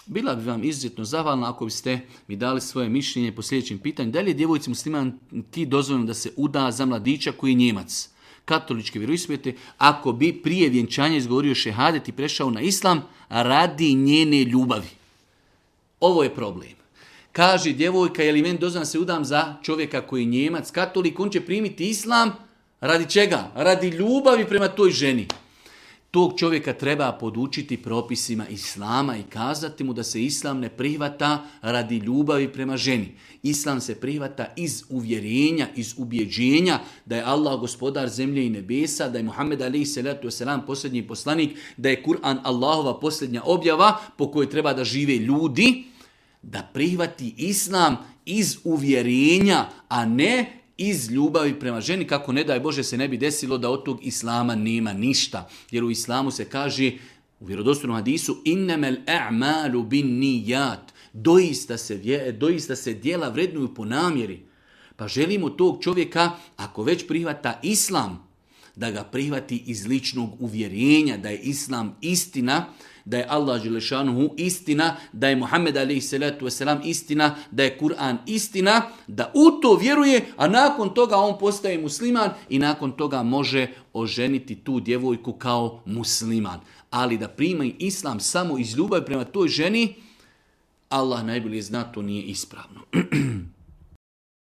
Bila bi vam izuzetno zahvalna ako biste mi dali svoje mišljenje po sljedećem pitanju. Da li je djevojci muslimanki dozvoljeno da se uda za mladića koji je Njemac, katoličke vjeroispovijesti, ako bi prije vjenčanja izgovorio šehadet i prešao na islam radi njene ljubavi? Ovo je problem. Kaže djevojka, je li meni dozvoljeno da se udam za čovjeka koji je Njemac, katolik, on će primiti islam radi čega? Radi ljubavi prema toj ženi. Tog čovjeka treba podučiti propisima islama i kazati mu da se islam ne prihvata radi ljubavi prema ženi. Islam se prihvata iz uvjerenja, iz ubjeđenja da je Allah gospodar zemlje i nebesa, da je Muhammed a.s. posljednji poslanik, da je Kur'an Allahova posljednja objava po kojoj treba da žive ljudi, da prihvati islam iz uvjerenja, a ne iz ljubavi prema ženi, kako ne daj Bože se ne bi desilo da od tog islama nema ništa. Jer u islamu se kaže u vjerodostojnom hadisu innemel a'malu bin nijat. Doista se djela vrednuju po namjeri. Pa želimo tog čovjeka, ako već prihvata islam, da ga prihvati iz ličnog uvjerenja, da je islam istina, da je Allah dželešanuhu istina, da je Muhammed a.s. istina, da je Kur'an istina, da u to vjeruje, a nakon toga on postaje musliman i nakon toga može oženiti tu djevojku kao musliman. Ali da prima islam samo iz ljubavi prema toj ženi, Allah najbolje zna, to nije ispravno.